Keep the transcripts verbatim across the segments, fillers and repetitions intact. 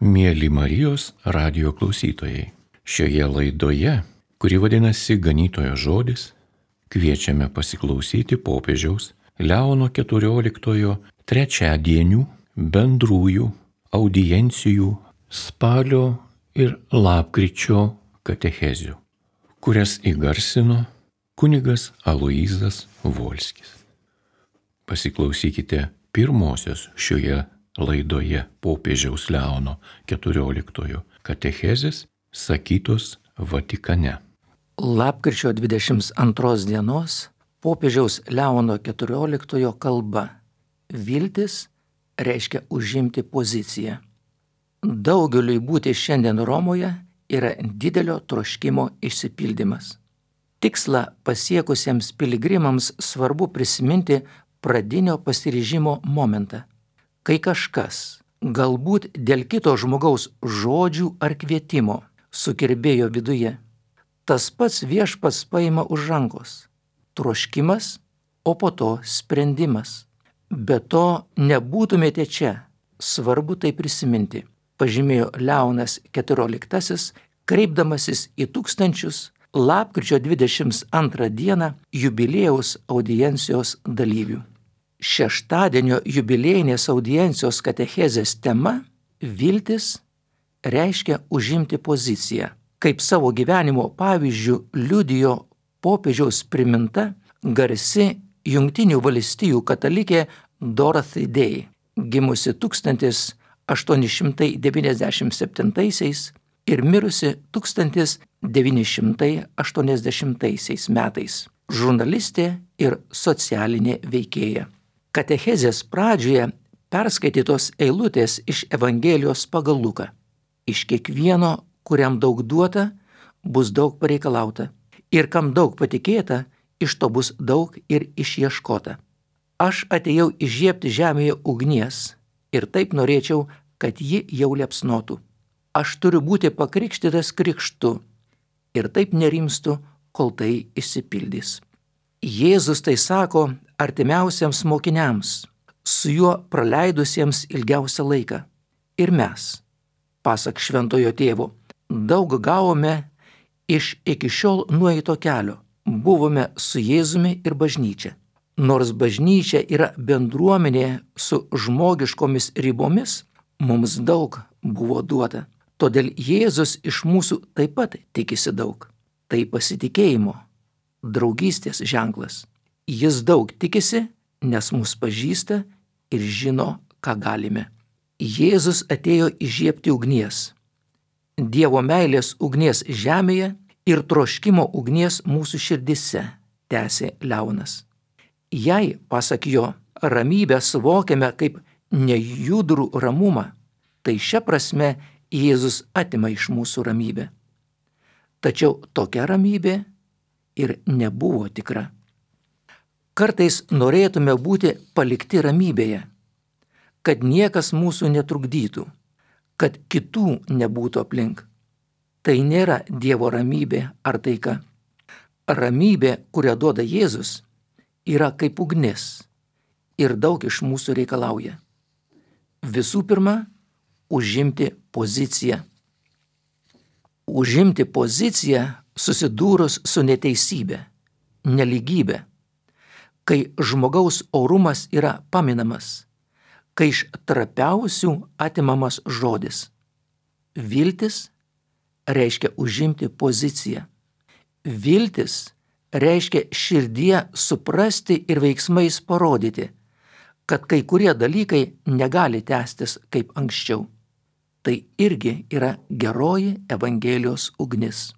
Mieli Marijos radijo klausytojai, šioje laidoje, kuri vadinasi Ganytojo žodis, kviečiame pasiklausyti popiežiaus Leono keturioliktojo trečiadienių bendrųjų audiencijų spalio ir lapkričio katechezių, kurias įgarsino kunigas Aloyzas Volskis. Pasiklausykite pirmosios šioje laidoje popiežiaus Leono keturioliktojo katechezės sakytos Vatikane. Lapkričio dvidešimt antros dienos popiežiaus Leono keturioliktojo kalba. Viltis reiškia užimti poziciją. Daugeliui būti šiandien Romoje yra didelio troškimo išsipildymas. Tikslą pasiekusiems piligrimams svarbu prisiminti pradinio pasiryžimo momentą, kai kažkas, galbūt dėl kito žmogaus žodžių ar kvietimo, sukirbėjo viduje. Tas pats Viešpats paima už rankos. Troškimas, o po to sprendimas. Be to nebūtumėte čia, svarbu tai prisiminti, pažymėjo Leonas keturioliktasis, kreipdamasis į tūkstančius lapkričio dvidešimt antrą dieną jubiliejaus audiencijos dalyvių. Šeštadienio jubiliejinės audiencijos katechezės tema viltis reiškia užimti poziciją. Kaip savo gyvenimo pavyzdžių liudijo popiežiaus priminta garsi Jungtinių valstijų katalikė Dorothy Day, gimusi tūkstantis aštuoni šimtai devyniasdešimt septintaisiais ir mirusi tūkstantis devyni šimtai aštuoniasdešimtaisiais metais, žurnalistė ir socialinė veikėja. Katechezės pradžioje perskaitytos eilutės iš Evangelijos pagal Luką. Iš kiekvieno, kuriam daug duota, bus daug pareikalauta, ir kam daug patikėta, iš to bus daug ir išieškota. Aš atėjau įžiebti žemėje ugnies ir taip norėčiau, kad ji jau liepsnotų. Aš turiu būti pakrikštytas krikštu ir taip nerimstu, kol tai išsipildys. Jėzus tai sako artimiausiams mokiniams, su juo praleidusiems ilgiausią laiką. Ir mes, pasak šventojo tėvo, daug gavome iš iki šiol nueito kelio. Buvome su Jėzumi ir bažnyčia. Nors bažnyčia yra bendruomenė su žmogiškomis ribomis, mums daug buvo duota. Todėl Jėzus iš mūsų taip pat tikisi daug. Tai pasitikėjimo, draugystės ženklas. Jis daug tikisi, nes mus pažįsta ir žino, ką galime. Jėzus atėjo įžiebti ugnies. Dievo meilės ugnies žemėje ir troškimo ugnies mūsų širdise, tęsė Leonas. Jei, pasak jo, ramybę suvokiame kaip nejudrų ramumą, tai šia prasme Jėzus atima iš mūsų ramybę. Tačiau tokia ramybė ir nebuvo tikra. Kartais norėtume būti palikti ramybėje, kad niekas mūsų netrukdytų, kad kitų nebūtų aplink. Tai nėra Dievo ramybė ar taika. Ramybė, kurią duoda Jėzus, yra kaip ugnis ir daug iš mūsų reikalauja. Visų pirma, užimti poziciją. Užimti poziciją susidūrus su neteisybė, nelygybė, kai žmogaus orumas yra paminamas, kai iš trapiausių atimamas žodis. Viltis reiškia užimti poziciją. Viltis reiškia širdie suprasti ir veiksmais parodyti, kad kai kurie dalykai negali tęstis kaip anksčiau. Tai irgi yra geroji Evangelijos ugnis.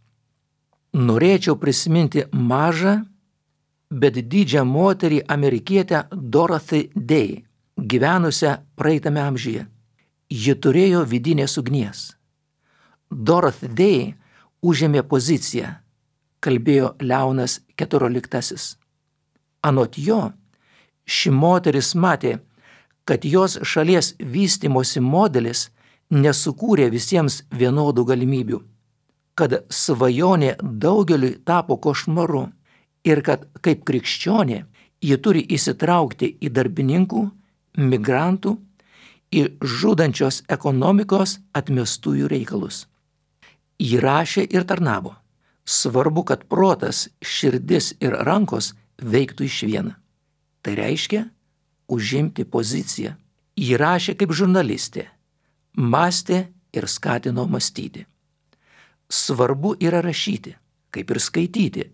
Norėčiau prisiminti mažą, bet didžią moterį amerikietę Dorothy Day, gyvenusią praeitame amžiuje. Ji turėjo vidinės ugnies. Dorothy Day užėmė poziciją, kalbėjo Leonas keturioliktasis. Anot jo, ši moteris matė, kad jos šalies vystymosi modelis nesukūrė visiems vienodų galimybių, kad svajonė daugeliui tapo košmaru ir kad kaip krikščionė ji turi įsitraukti į darbininkų, migrantų į žudančios ekonomikos atmestųjų reikalus. Ji rašė ir tarnavo. Svarbu, kad protas, širdis ir rankos veiktų išvien. Tai reiškia užimti poziciją. Ji rašė kaip žurnalistė, mąstė ir skatino mąstyti. Svarbu yra rašyti, kaip ir skaityti,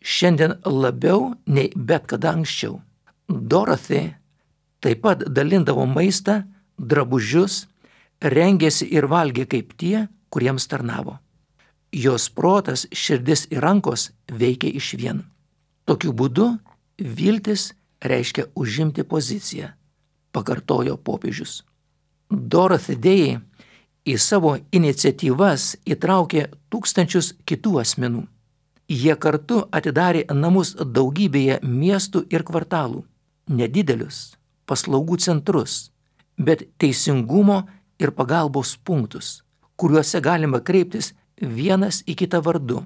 šiandien labiau nei bet kada anksčiau. Dorothy taip pat dalindavo maistą, drabužius, rengėsi ir valgė kaip tie, kuriems tarnavo. Jos protas, širdis ir rankos veikė išvien. Tokiu būdu viltis reiškia užimti poziciją, pakartojo popiežius. Dorothy Day į savo iniciatyvas įtraukė tūkstančius kitų asmenų. Jie kartu atidarė namus daugybėje miestų ir kvartalų, nedidelius paslaugų centrus, bet teisingumo ir pagalbos punktus, kuriuose galima kreiptis vienas į kitą vardu,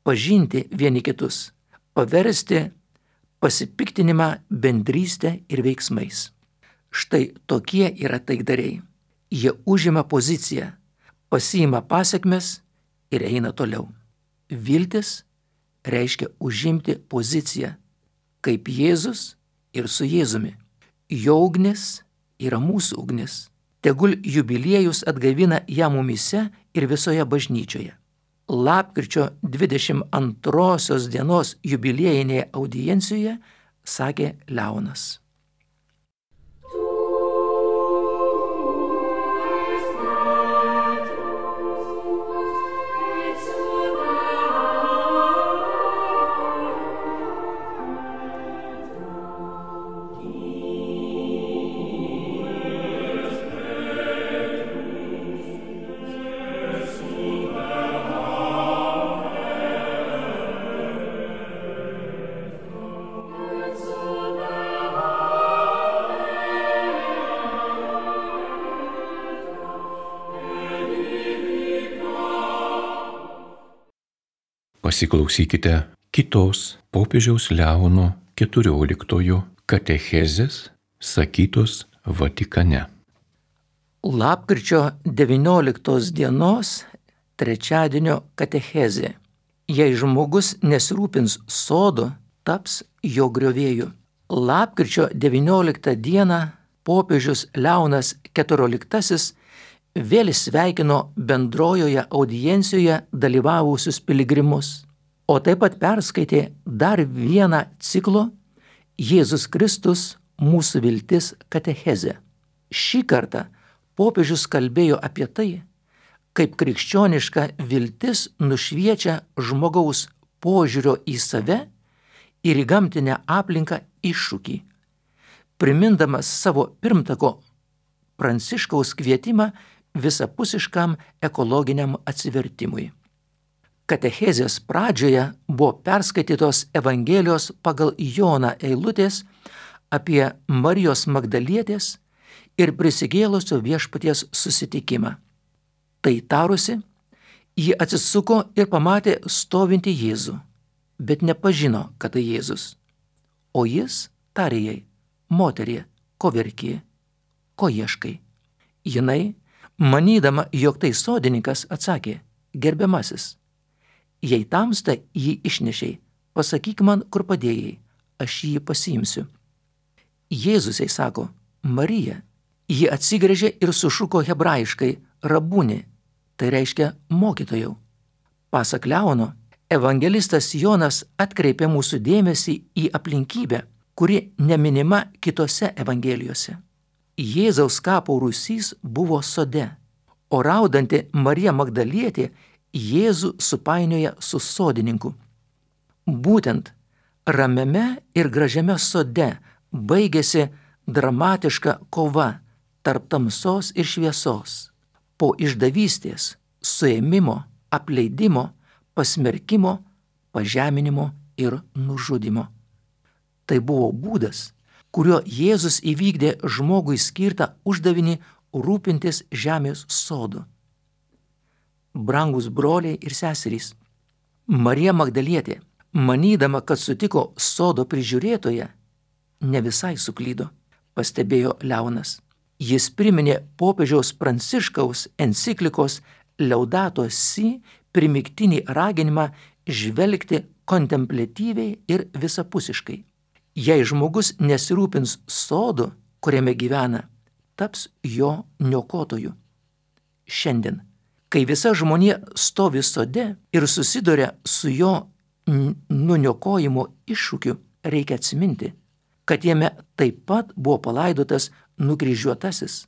pažinti vieni kitus, paversti pasipiktinimą bendrystę ir veiksmais. Štai tokie yra taikdariai. Jie užima poziciją, pasiima pasekmes ir eina toliau. Viltis reiškia užimti poziciją, kaip Jėzus ir su Jėzumi. Jo ugnis yra mūsų ugnis. Tegul jubiliejus atgaivina ją mumyse ir visoje bažnyčioje. Lapkričio dvidešimt antrosios dienos jubiliejinėje audiencijoje sakė Leonas. Pasiklausykite kitos popiežiaus Leono keturioliktojo katechezės sakytos Vatikane. Lapkričio devynioliktos dienos trečiadienio katechezė. Jei žmogus nesirūpins sodu, taps jo griovėju. Lapkričio devynioliktą dieną popiežius Leonas keturioliktasis vėl sveikino bendrojoje audiencijoje dalyvavusius piligrimus, o taip pat perskaitė dar vieną ciklo Jėzus Kristus mūsų viltis katechezę. Šį kartą popiežius kalbėjo apie tai, kaip krikščioniška viltis nušviečia žmogaus požiūrio į save ir į gamtinę aplinką iššūkį, primindamas savo pirmtako Pranciškaus kvietimą visapusiškam ekologiniam atsivertimui. Katechezės pradžioje buvo perskaitytos Evangelijos pagal Joną eilutės apie Marijos Magdalietės ir prisikėlusio viešpaties susitikimą. Tai tarusi, ji atsisuko ir pamatė stovintį Jėzų, bet nepažino, kad tai Jėzus. O jis tarė jai: moterie, ko verki, ko ieškai? Jinai, manydama, jog tai sodininkas, atsakė: gerbiamasis, jei tamsta jį išnešiai, pasakyk man, kur padėjai, aš jį pasiimsiu. Jėzus jai sako: Marija. Ji atsigręžė ir sušuko hebrajiškai: rabuni, tai reiškia mokytojau. Pasak Leono, evangelistas Jonas atkreipė mūsų dėmesį į aplinkybę, kuri neminima kitose evangelijose. Jėzaus kapo rūsys buvo sode, o raudanti Marija Magdalietė Jėzų supainioja su sodininku. Būtent ramiame ir gražiame sode baigėsi dramatiška kova tarp tamsos ir šviesos, po išdavystės, suėmimo, apleidimo, pasmerkimo, pažeminimo ir nužudimo. Tai buvo būdas, kuriuo Jėzus įvykdė žmogui skirtą uždavinį rūpintis žemės sodu. Brangus broliai ir seserys, Marija Magdalietė, manydama, kad sutiko sodo prižiūrėtoją, ne visai suklydo, pastebėjo Leonas. Jis priminė popiežiaus Pranciškaus enciklikos Laudato Si primygtinį raginimą žvelgti kontempliatyviai ir visapusiškai. Jei žmogus nesirūpins sodu, kuriame gyvena, taps jo niokotoju. Šiandien, kai visa žmonija stovi sode ir susiduria su jo nuniokojimo iššūkiu, reikia atsiminti, kad jame taip pat buvo palaidotas nukryžiuotasis,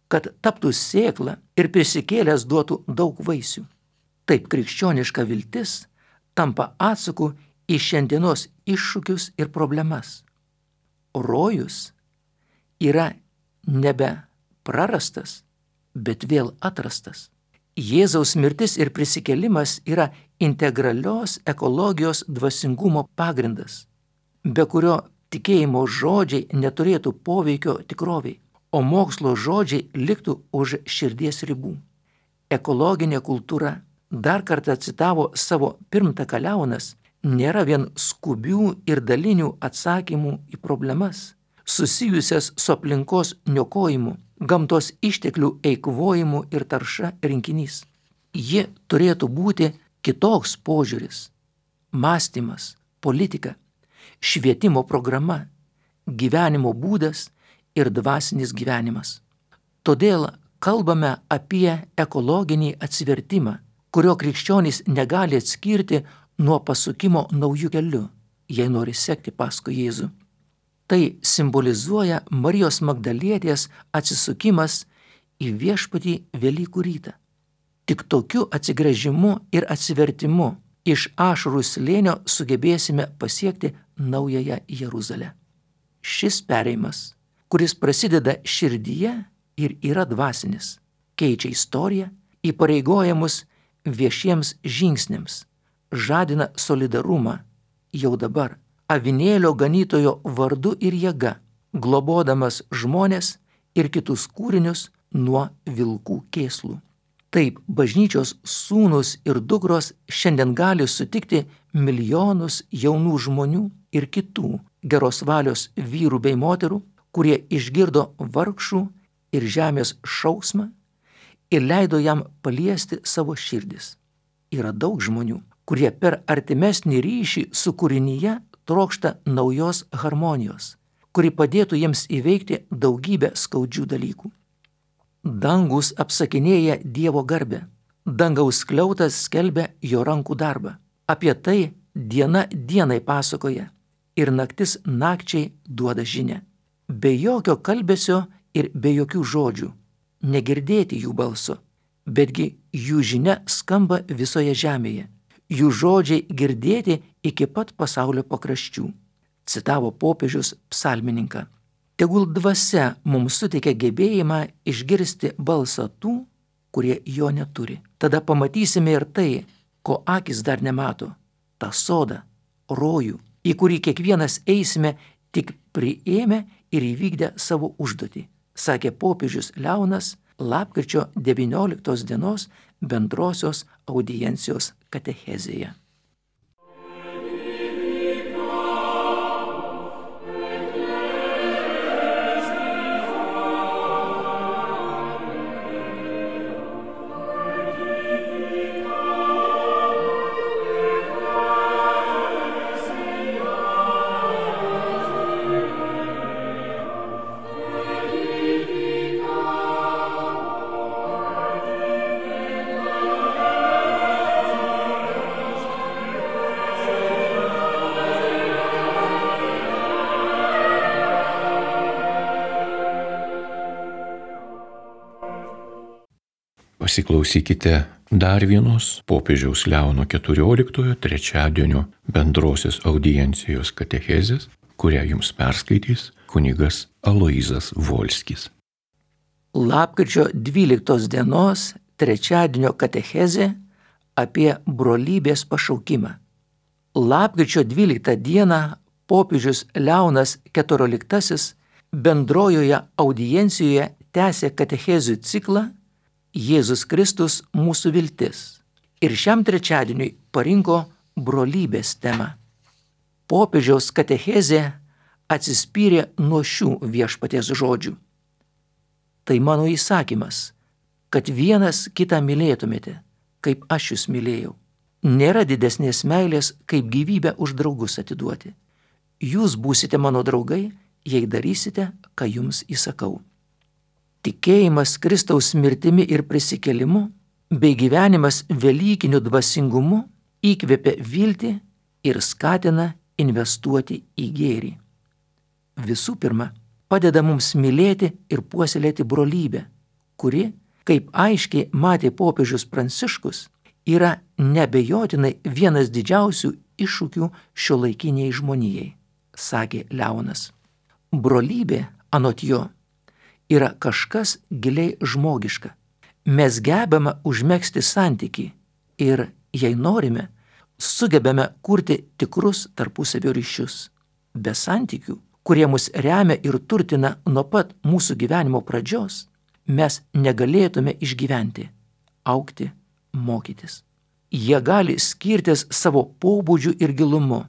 kad taptų sėkla ir prisikėlęs duotų daug vaisių. Taip krikščioniška viltis tampa atsaku į šiandienos iššūkius ir problemas. Rojus yra nebe prarastas, bet vėl atrastas. Jėzaus mirtis ir prisikėlimas yra integralios ekologijos dvasingumo pagrindas, be kurio tikėjimo žodžiai neturėtų poveikio tikroviai, o mokslo žodžiai liktų už širdies ribų. Ekologinė kultūra, dar kartą citavo savo pirmtaką Leonas, nėra vien skubių ir dalinių atsakymų į problemas, susijusias su aplinkos niokojimu, gamtos išteklių eikvojimu ir tarša rinkinys. Ji turėtų būti kitoks požiūris, mąstymas, politika, švietimo programa, gyvenimo būdas ir dvasinis gyvenimas. Todėl kalbame apie ekologinį atsivertimą, kurio krikščionys negali atskirti nuo pasukimo naujų kelių, jei nori sekti paskui Jėzų. Tai simbolizuoja Marijos Magdalietės atsisukimas į Viešpatį Velykų rytą. Tik tokiu atsigręžimu ir atsivertimu iš ašarų slėnio sugebėsime pasiekti naująją Jeruzalę. Šis perėjimas, kuris prasideda širdyje ir yra dvasinis, keičia istoriją, įpareigoja mus viešiems žingsniams, žadina solidarumą jau dabar, avinėlio ganytojo vardu ir jėga, globodamas žmones ir kitus kūrinius nuo vilkų kėslų. Taip, bažnyčios sūnus ir dukros šiandien gali sutikti milijonus jaunų žmonių ir kitų geros valios vyrų bei moterų, kurie išgirdo vargšų ir žemės šauksmą ir leido jam paliesti savo širdis. Yra daug žmonių, kurie per artimesnį ryšį su kūrinyje trokšta naujos harmonijos, kuri padėtų jiems įveikti daugybę skaudžių dalykų. Dangus apsakinėja Dievo garbę, dangaus skliautas skelbia jo rankų darbą. Apie tai diena dienai pasakoja ir naktis nakčiai duoda žinią. Be jokio kalbesio ir be jokių žodžių, negirdėti jų balso, betgi jų žinia skamba visoje žemėje, jų žodžiai girdėti iki pat pasaulio pakraščių, citavo popiežius psalmininką. Tegul dvasia mums suteikia gebėjimą išgirsti balsą tų, kurie jo neturi. Tada pamatysime ir tai, ko akis dar nemato, tą sodą, rojų, į kurį kiekvienas eisime tik priėmę ir įvykdę savo užduotį, sakė popiežius Leonas lapkričio devynioliktos dienos bendrosios audiencijos katechezėje. Pasiklausykite dar vienos popiežiaus Leono keturioliktojo trečiadienio bendrosios audiencijos katechezės, kurią jums perskaitys kunigas Aloyzas Volskis. Lapkričio dvyliktos dienos trečiadienio katechezė apie brolybės pašaukimą. Lapkričio dvyliktą dieną popiežius Leonas keturioliktasis bendrojoje audiencijoje tęsė katechezių ciklą Jėzus Kristus mūsų viltis ir šiam trečiadieniui parinko brolybės temą. Popiežiaus katechezė atsispyrė nuo šių viešpaties žodžių. Tai mano įsakymas, kad vienas kitą mylėtumėte, kaip aš jūs mylėjau. Nėra didesnės meilės, kaip gyvybę už draugus atiduoti. Jūs būsite mano draugai, jei darysite, ką jums įsakau. Tikėjimas Kristaus mirtimi ir prisikėlimu bei gyvenimas velykiniu dvasingumu įkvepia viltį ir skatina investuoti į gėrį. Visų pirma, padeda mums mylėti ir puoselėti brolybę, kuri, kaip aiškiai matė popiežius Pranciškus, yra neabejotinai vienas didžiausių iššūkių šiuolaikiniai žmonijai, sakė Leonas. Brolybė, anot jo, yra kažkas giliai žmogiška. Mes gebame užmegzti santykį ir, jei norime, sugebame kurti tikrus tarpusavio ryšius. Be santykių, kurie mus remia ir turtina nuo pat mūsų gyvenimo pradžios, mes negalėtume išgyventi, augti, mokytis. Jie gali skirtis savo pobūdžiu ir gilumu.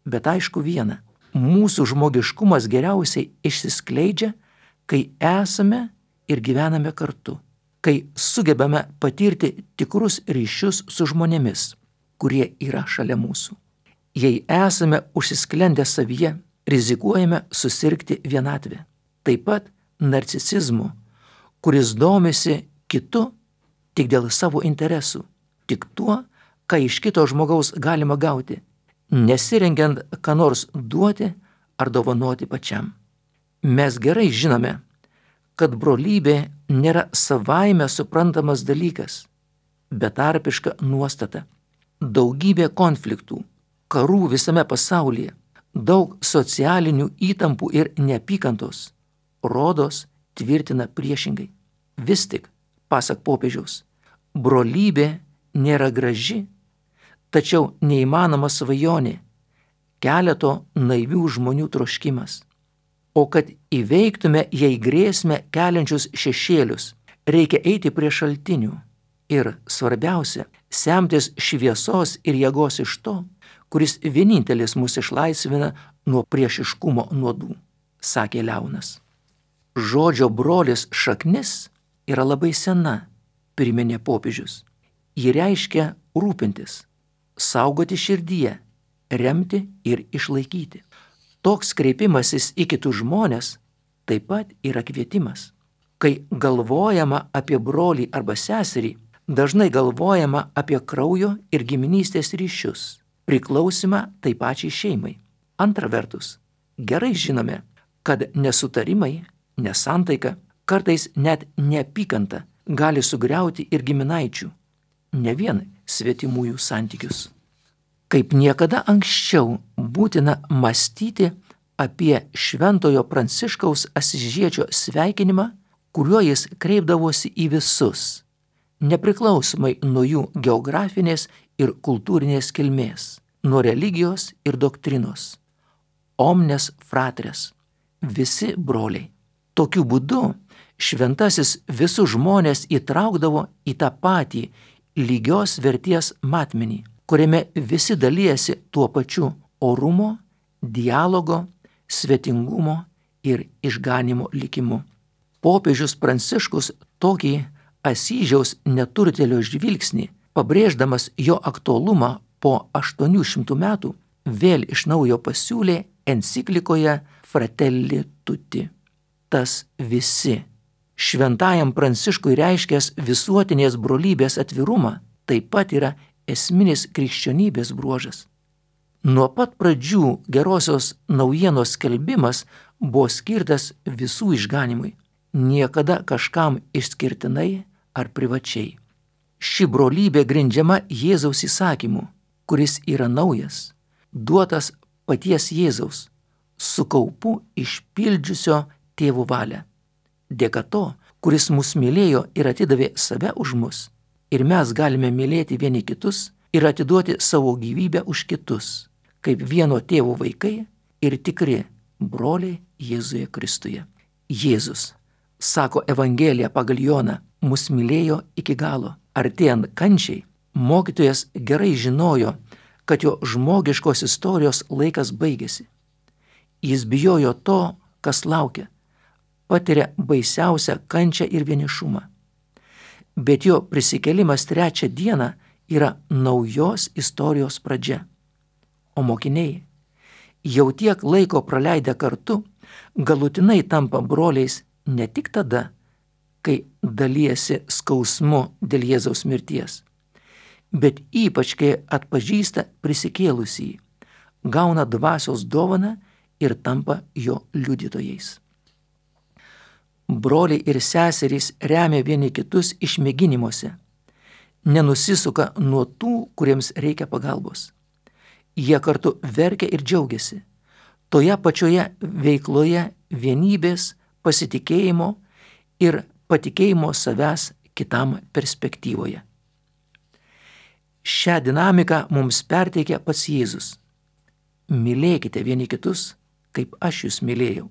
Bet aišku viena, mūsų žmogiškumas geriausiai išsiskleidžia, kai esame ir gyvename kartu, kai sugebame patirti tikrus ryšius su žmonėmis, kurie yra šalia mūsų. Jei esame užsisklendę savyje, rizikuojame susirgti vienatvę. Taip pat narcisizmu, kuris domisi kitu tik dėl savo interesų, tik tuo, ką iš kito žmogaus galima gauti, nesirengiant ką nors duoti ar dovanoti pačiam. Mes gerai žinome, kad brolybė nėra savaime suprantamas dalykas, betarpiška nuostata. Daugybė konfliktų, karų visame pasaulyje, daug socialinių įtampų ir neapykantos, rodos tvirtina priešingai. Vis tik, pasak popiežiaus, brolybė nėra graži, tačiau neįmanoma svajonė, keleto naivių žmonių troškimas. O kad įveiktume jai grėsmę keliančius šešėlius, reikia eiti prie šaltinių ir, svarbiausia, semtis šviesos ir jėgos iš to, kuris vienintelis mus išlaisvina nuo priešiškumo nuodų, sakė Leonas. Žodžio brolis šaknis yra labai sena, priminė popiežius. Ji reiškia rūpintis, saugoti širdyje, remti ir išlaikyti. Toks kreipimasis į kitus žmonės taip pat yra kvietimas. Kai galvojama apie brolį arba seserį, dažnai galvojama apie kraujo ir giminystės ryšius, priklausimą tai pačiai šeimai. Antra vertus, gerai žinome, kad nesutarimai, nesantaika, kartais net neapykanta gali sugriauti ir giminaičių, ne vien svetimųjų santykius. Kaip niekada anksčiau būtina mąstyti apie Šventojo Pranciškaus Asyžiečio sveikinimą, kuriuo jis kreipdavosi į visus, nepriklausomai nuo jų geografinės ir kultūrinės kilmės, nuo religijos ir doktrinos. Omnes fratres, visi broliai. Tokiu būdu šventasis visus žmonės įtraukdavo į tą patį lygios verties matmenį, kuriame visi dalijasi tuo pačiu orumo, dialogo, svetingumo ir išganimo likimu. Popiežius Pranciškus tokį Asyžiaus neturtėlio žvilgsnį, pabrėždamas jo aktualumą po aštuonių šimtų metų, vėl iš naujo pasiūlė enciklikoje Fratelli Tutti. Tas visi. Šventajam Pranciškui reiškęs visuotinės brolybės atvirumą taip pat yra esminis krikščionybės bruožas. Nuo pat pradžių gerosios naujienos skelbimas buvo skirtas visų išganimui, niekada kažkam išskirtinai ar privačiai. Ši brolybė grindžiama Jėzaus įsakymu, kuris yra naujas, duotas paties Jėzaus, su kaupu išpildžiusio tėvo valią. Dėka to, kuris mus mylėjo ir atidavė save už mus, ir mes galime mylėti vieni kitus ir atiduoti savo gyvybę už kitus, kaip vieno tėvo vaikai ir tikri broliai Jėzuje Kristuje. Jėzus, sako Evangelija pagal Joną, mus mylėjo iki galo. Artėjant kančiai, mokytojas gerai žinojo, kad jo žmogiškos istorijos laikas baigėsi. Jis bijojo to, kas laukia. patiria baisiausią kančią ir vienišumą. Bet jo prisikėlimas trečią dieną yra naujos istorijos pradžia. O mokiniai, jau tiek laiko praleidę kartu, galutinai tampa broliais ne tik tada, kai dalijasi skausmu dėl Jėzaus mirties, bet ypač kai atpažįsta prisikėlusįjį, gauna dvasios dovaną ir tampa jo liudytojais. Broliai ir seserys remia vieni kitus išmėginimuose, nenusisuka nuo tų, kuriems reikia pagalbos. Jie kartu verkia ir džiaugiasi, toje pačioje veikloje vienybės, pasitikėjimo ir patikėjimo savęs kitam perspektyvoje. Šią dinamiką mums perteikia pats Jėzus. Mylėkite vieni kitus, kaip aš jūs mylėjau.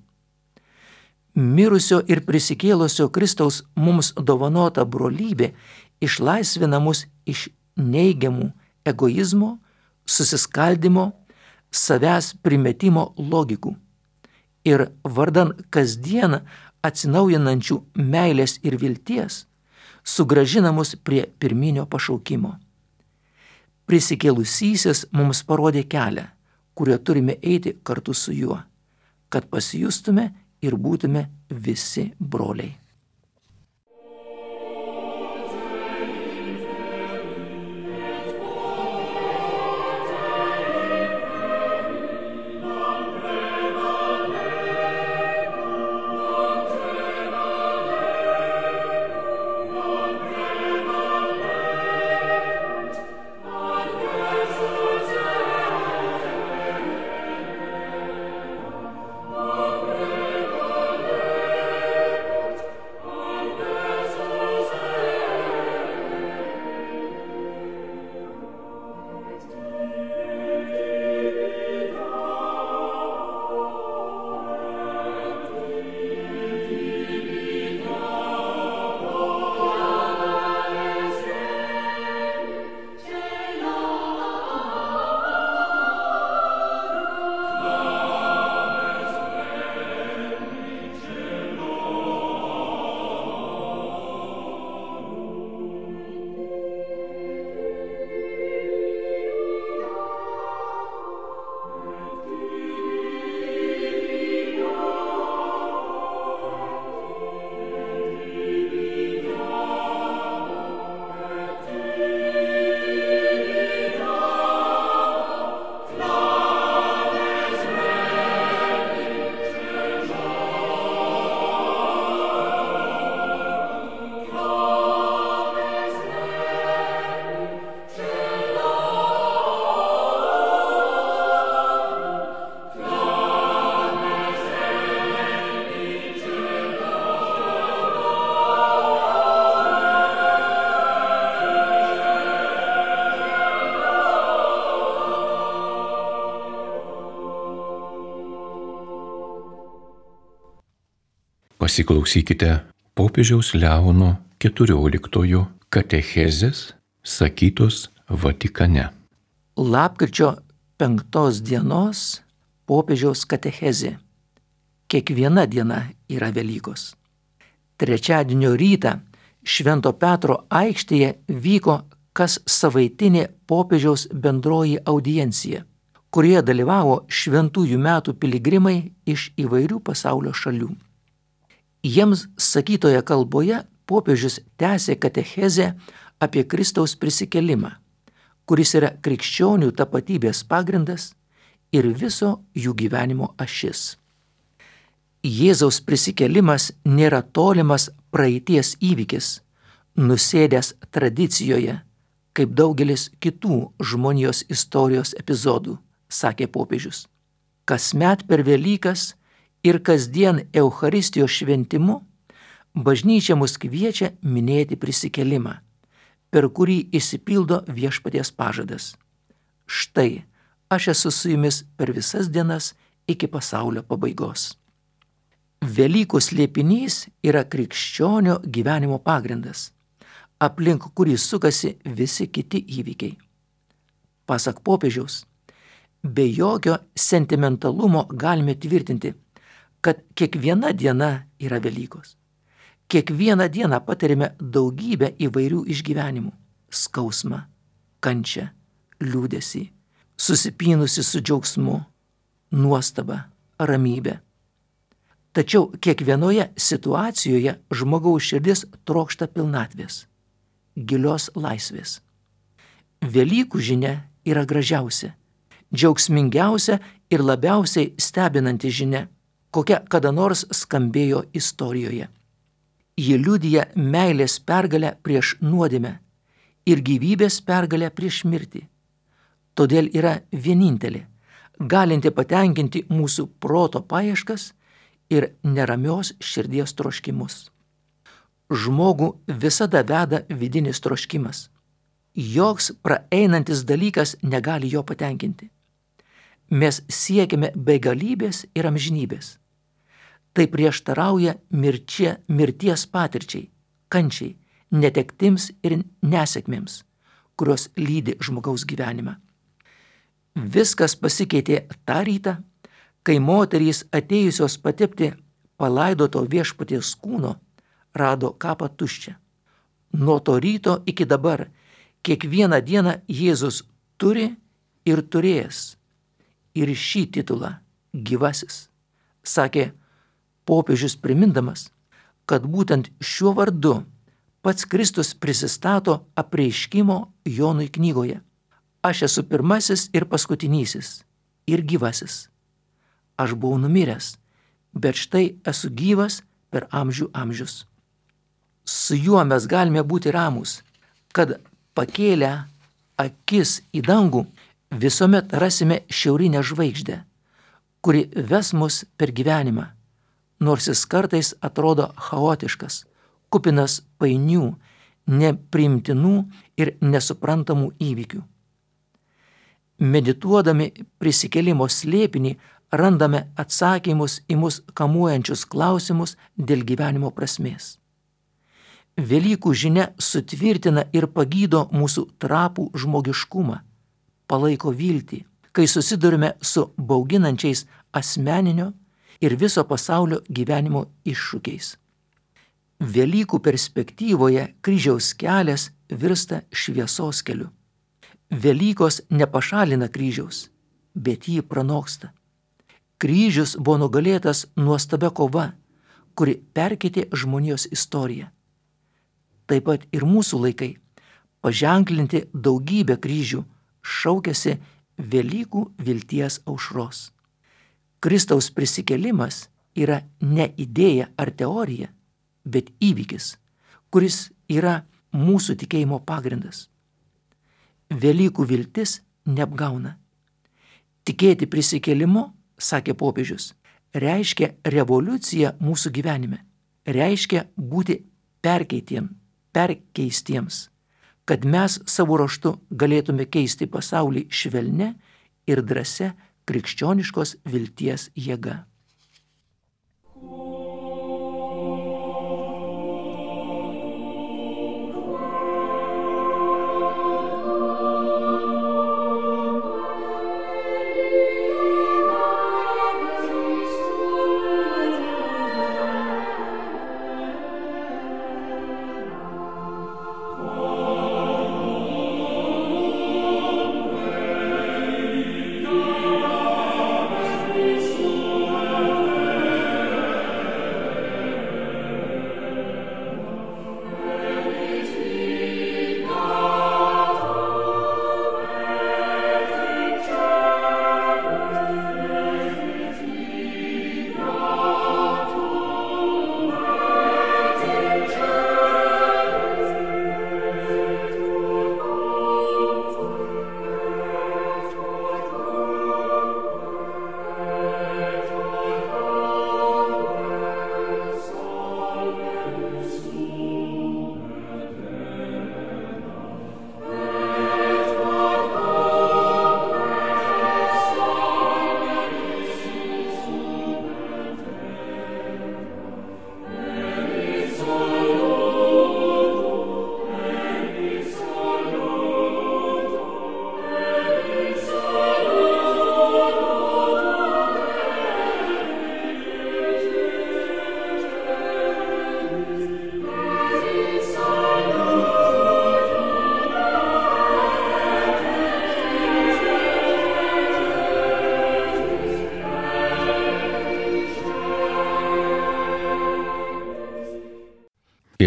Mirusio ir prisikėlusio Kristaus mums dovanota brolybė išlaisvina mus iš neigiamų egoizmo, susiskaldimo, savęs primetimo logikų ir vardan kasdien atsinaujinančių meilės ir vilties sugrąžina mus prie pirminio pašaukimo. Prisikėlusysis mums parodė kelią, kuriuo turime eiti kartu su juo, kad pasijustume ir būtume visi broliai. Pasiklausykite popiežiaus Leono keturioliktojo katechezės sakytos Vatikane. Lapkričio penktos dienos popiežiaus katechezė. Kiekviena diena yra Velykos. Trečiadienio rytą Švento Petro aikštėje vyko kas savaitinė popiežiaus bendroji audiencija, kurioje dalyvavo šventųjų metų piligrimai iš įvairių pasaulio šalių. Jiems sakytoje kalboje popiežius tęsė katechezę apie Kristaus prisikėlimą, kuris yra krikščionių tapatybės pagrindas ir viso jų gyvenimo ašis. Jėzaus prisikėlimas nėra tolimas praeities įvykis, nusėdęs tradicijoje, kaip daugelis kitų žmonijos istorijos epizodų, sakė popiežius. Kasmet per Velykas ir kasdien Eucharistijos šventimu bažnyčia mus kviečia minėti prisikėlimą, per kurį išsipildo viešpaties pažadas. Štai, aš esu su jumis per visas dienas iki pasaulio pabaigos. Velykų slėpinys yra krikščionio gyvenimo pagrindas, aplink kurį sukasi visi kiti įvykiai. Pasak popiežiaus, be jokio sentimentalumo galime tvirtinti, kad kiekviena diena yra Velykos. Kiekvieną dieną patirime daugybę įvairių išgyvenimų - skausmą, kančią, liūdesį, susipynusi su džiaugsmu, nuostabą, ramybę. Tačiau kiekvienoje situacijoje žmogaus širdis trokšta pilnatvės, gilios laisvės. Velykų žinia yra gražiausia, džiaugsmingiausia ir labiausiai stebinanti žinia, kokia kada nors skambėjo istorijoje. Ji liudija meilės pergalę prieš nuodėmę ir gyvybės pergalę prieš mirtį. Todėl yra vienintelė, galinti patenkinti mūsų proto paieškas ir neramios širdies troškimus. Žmogų visada veda vidinis troškimas. Joks praeinantis dalykas negali jo patenkinti. Mes siekiame begalybės ir amžinybės. Tai prieštarauja mirčia, mirties patirčiai, kančiai, netektims ir nesėkmėms, kurios lydi žmogaus gyvenimą. Viskas pasikeitė tą rytą, kai moterys atėjusios patepti palaidoto viešpaties kūno rado kapą tuščią. Nuo to ryto iki dabar kiekvieną dieną Jėzus turi ir turės ir šį titulą gyvasis, sakė popiežius primindamas, kad būtent šiuo vardu pats Kristus prisistato apreiškimo Jonui knygoje. Aš esu pirmasis ir paskutinysis ir gyvasis. Aš buvau numiręs, bet štai esu gyvas per amžių amžius. Su juo mes galime būti ramūs, kad pakėlę akis į dangų visuomet rasime šiaurinę žvaigždę, kuri ves mus per gyvenimą, nors jis kartais atrodo chaotiškas, kupinas painių, nepriimtinų ir nesuprantamų įvykių. Medituodami prisikėlimo slėpinį randame atsakymus į mus kamuojančius klausimus dėl gyvenimo prasmės. Velykų žinia sutvirtina ir pagydo mūsų trapų žmogiškumą, palaiko viltį, kai susidurime su bauginančiais asmeninio ir viso pasaulio gyvenimo iššūkiais. Velykų perspektyvoje kryžiaus kelias virsta šviesos keliu. Velykos nepašalina kryžiaus, bet jį pranoksta. Kryžius buvo nugalėtas nuostabia kova, kuri perkeitė žmonijos istoriją. Taip pat ir mūsų laikai, paženklinti daugybę kryžių, šaukiasi Velykų vilties aušros. Kristaus prisikėlimas yra ne idėja ar teorija, bet įvykis, kuris yra mūsų tikėjimo pagrindas. Velykų viltis neapgauna. Tikėti prisikėlimu, sakė popiežius, reiškia revoliuciją mūsų gyvenime, reiškia būti perkeitiem, perkeistiems, kad mes savo ruožtu galėtume keisti pasaulį švelnia ir drąsia krikščioniškos vilties jėga. Christus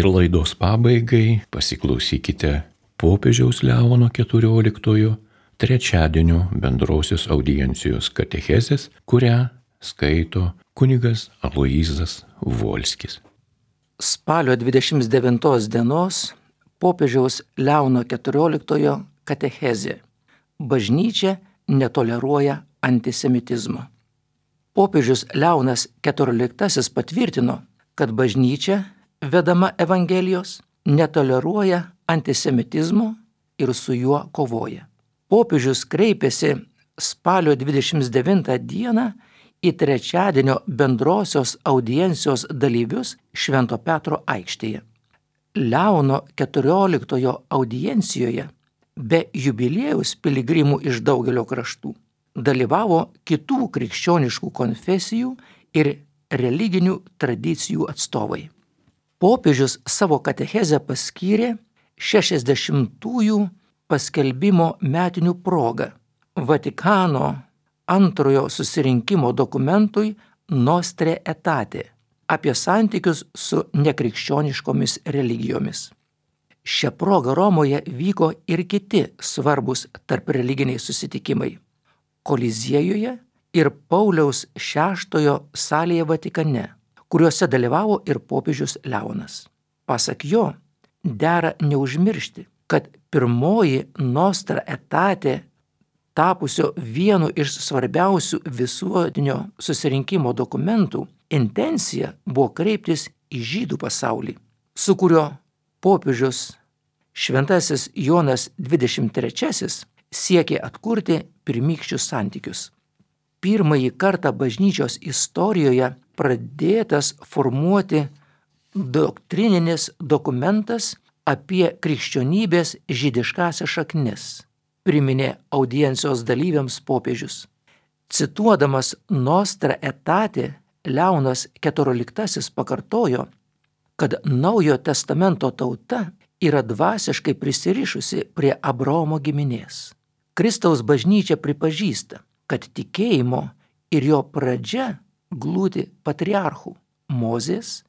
Ir laidos pabaigai pasiklausykite popiežiaus Leono keturioliktojo trečiadienio bendrosios audiencijos katechezės, kurią skaito kunigas Aloyzas Volskis. Spalio dvidešimt devintos dienos popiežiaus Leono keturioliktojo katechezė. Bažnyčia netoleruoja antisemitizmo. Popiežius Leonas keturioliktasis patvirtino, kad bažnyčia, vedama Evangelijos, netoleruoja antisemitizmo ir su juo kovoja. Popiežius kreipėsi spalio dvidešimt devintą dieną į trečiadienio bendrosios audiencijos dalyvius Švento Petro aikštėje. Leono keturioliktojo audiencijoje be jubiliejaus piligrimų iš daugelio kraštų dalyvavo kitų krikščioniškų konfesijų ir religinių tradicijų atstovai. Popiežius savo katechezę paskyrė šešiasdešimtųjų paskelbimo metinių progą Vatikano antrojo susirinkimo dokumentui Nostre Aetate apie santykius su nekrikščioniškomis religijomis. Šia proga Romoje vyko ir kiti svarbus tarpreliginiai susitikimai – Koliziejuje ir Pauliaus šeštojo salėje Vatikane, kuriuose dalyvavo ir popiežius Leonas. Pasak jo, dera neužmiršti, kad pirmoji Nostra Aetate, tapusio vienu iš svarbiausių visuotinio susirinkimo dokumentų, intencija buvo kreiptis į žydų pasaulį, su kurio popiežius Šventasis Jonas dvidešimt trečiasis siekė atkurti pirmykščius santykius. Pirmąjį kartą bažnyčios istorijoje pradėtas formuoti doktrininis dokumentas apie krikščionybės žydiškąsias šaknis, priminė audiencijos dalyviams popiežius. Cituodamas Nostra Aetate, Leonas keturioliktasis pakartojo, kad Naujojo testamento tauta yra dvasiškai prisirišusi prie Abraomo giminės. Kristaus bažnyčia pripažįsta, kad tikėjimo ir jo pradžia glūdi patriarchų, Mozės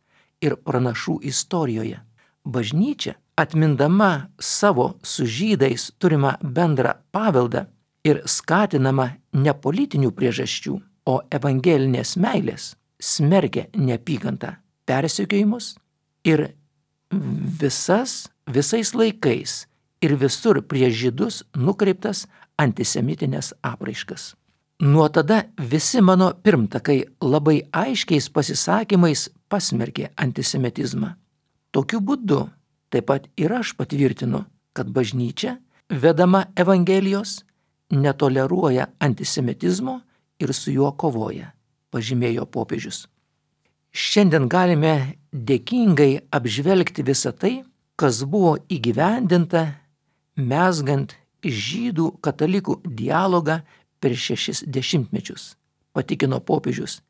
ir pranašų istorijoje. Bažnyčia, atmindama savo su žydais turimą bendrą paveldą ir skatinama ne politinių priežasčių, o evangelinės meilės, smerkia neapykantą, persekiojimus ir visas, visais laikais ir visur prieš žydus nukreiptas antisemitinės apraiškas. Nuo tada visi mano pirmtakai labai aiškiais pasisakymais pasmerkė antisemitizmą. Tokiu būdu taip pat ir aš patvirtinu, kad bažnyčia, vedama Evangelijos, netoleruoja antisemitizmo ir su juo kovoja, pažymėjo popiežius. Šiandien galime dėkingai apžvelgti visą tai, kas buvo įgyvendinta, mezgant žydų katalikų dialogą per šešis dešimtmečius, patikino popiežius,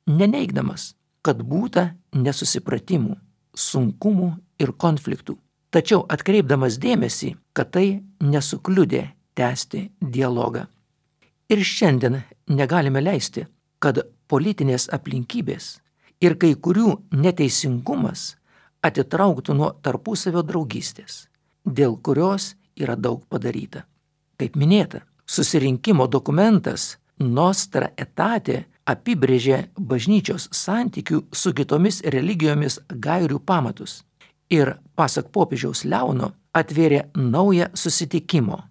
neneigdamas, kad būta nesusipratimų, sunkumų ir konfliktų, tačiau atkreipdamas dėmesį, kad tai nesukliudė tęsti dialogą. Ir šiandien negalime leisti, kad politinės aplinkybės ir kai kurių neteisingumas atitrauktų nuo tarpusavio draugystės, dėl kurios yra daug padaryta. Kaip minėta, susirinkimo dokumentas Nostra Aetate apibrėžė bažnyčios santykių su kitomis religijomis gairių pamatus ir, pasak popiežiaus Leono, atvėrė naują susitikimo,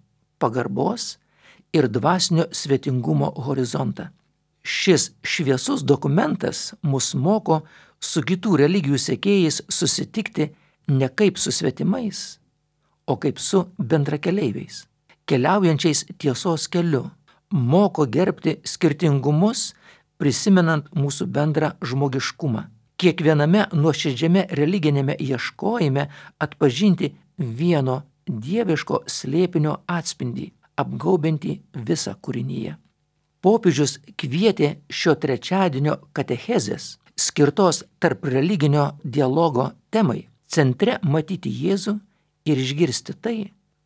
pagarbos ir dvasinio svetingumo horizontą. Šis šviesus dokumentas mus moko su kitų religijų sekėjais susitikti ne kaip su svetimais, o kaip su bendrakeleiviais, keliaujančiais tiesos keliu, moko gerbti skirtingumus, prisimenant mūsų bendrą žmogiškumą. Kiekviename nuoširdžiame religinėme ieškojime atpažinti vieno dieviško slėpinio atspindį, apgaubiantį visą kūrinyje. Popiežius kvietė šio trečiadienio katechezės, skirtos tarp religinio dialogo temai, centre matyti Jėzų ir išgirsti tai,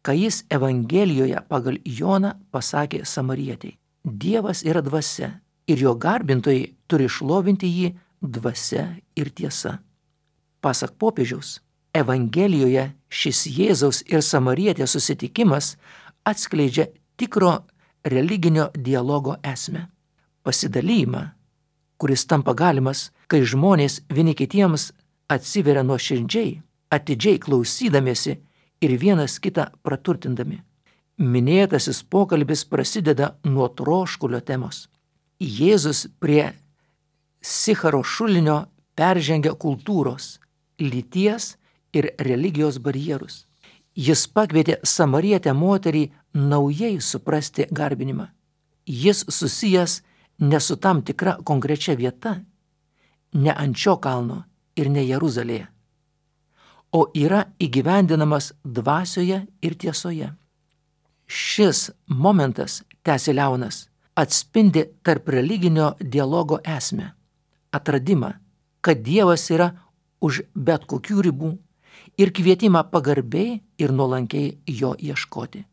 ką jis Evangelijoje pagal Joną pasakė samarietei. Dievas yra dvasia ir jo garbintojai turi šlovinti jį dvasia ir tiesa. Pasak popiežiaus, Evangelijoje šis Jėzaus ir Samarietės susitikimas atskleidžia tikro religinio dialogo esmę. Pasidalymą, kuris tampa galimas, kai žmonės vieni kitiems atsiveria nuoširdžiai, atidžiai klausydamiesi ir vienas kitą praturtindami. Minėtasis pokalbis prasideda nuo troškulio temos. Jėzus prie Sicharo šulinio peržengia kultūros, lyties ir religijos barjerus. Jis pakvietė Samarietę moterį naujai suprasti garbinimą. Jis susijęs ne su tam tikra konkrečia vieta, ne ant šio kalno ir ne Jeruzalėje, o yra įgyvendinamas dvasioje ir tiesoje. Šis momentas, tęsė Leonas, atspindi tarp religinio dialogo esmę, atradimą, kad Dievas yra už bet kokių ribų ir kvietimą pagarbiai ir nuolankiai jo ieškoti.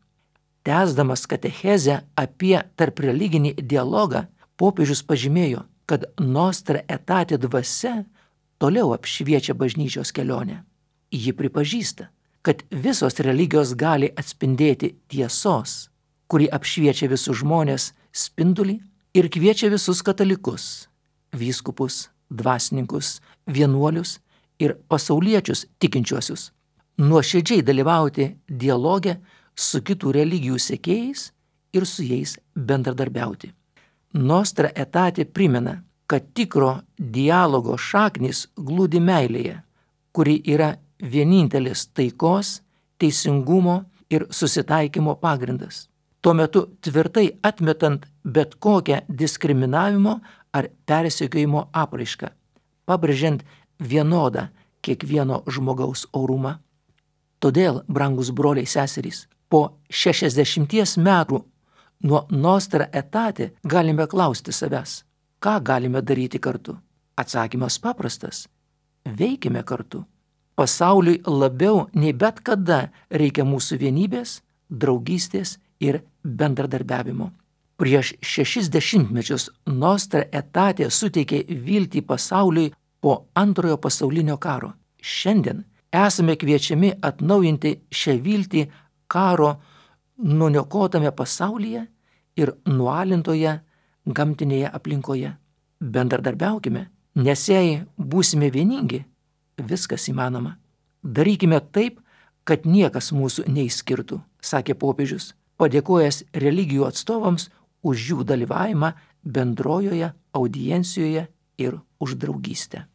Tęsdamas katechezę apie tarp religinį dialogą, popiežius pažymėjo, kad Nostra Aetate dvasia toliau apšviečia bažnyčios kelionę. Ji pripažįsta, kad visos religijos gali atspindėti tiesos, kuri apšviečia visus žmonės spindulį ir kviečia visus katalikus, vyskupus, dvasininkus, vienuolius ir pasauliečius tikinčiuosius nuoširdžiai dalyvauti dialoge su kitų religijų sekėjais ir su jais bendradarbiauti. Nostra Aetate primena, kad tikro dialogo šaknys glūdi meilėje, kuri yra vienintelis taikos, teisingumo ir susitaikymo pagrindas. Tuo metu tvirtai atmetant bet kokią diskriminavimo ar persekiojimo apraišką, pabrėžiant vienodą kiekvieno žmogaus orumą. Todėl, brangus broliai seserys, po šešiasdešimties metų nuo Nostra Aetate galime klausti savęs, ką galime daryti kartu. Atsakymas paprastas – veikime kartu. Pasauliui labiau nei bet kada reikia mūsų vienybės, draugystės ir bendradarbiavimo. Prieš šešis dešimtmečius Nostra Aetate suteikė viltį pasauliui po antrojo pasaulinio karo. Šiandien esame kviečiami atnaujinti šią viltį karo nuniokotame pasaulyje ir nualintoje gamtinėje aplinkoje. Bendradarbiaukime, nes jei būsime vieningi, viskas įmanoma. Darykime taip, kad niekas mūsų neišskirtų, sakė popiežius, padėkojęs religijų atstovams už jų dalyvavimą bendrojoje audiencijoje ir už draugystę.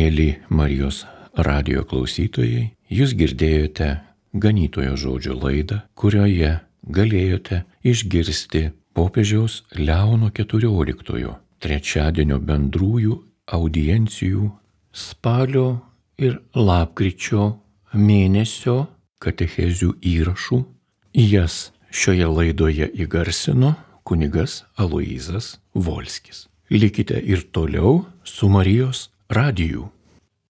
Mėly Marijos radijo klausytojai, jūs girdėjote ganytojo žodžio laidą, kurioje galėjote išgirsti popiežiaus Leono keturioliktojo trečiadienio bendrųjų audiencijų spalio ir lapkričio mėnesio katechezių įrašų. Jas šioje laidoje įgarsino kunigas Aloyzas Volskis. Likite ir toliau su Marijos radiju.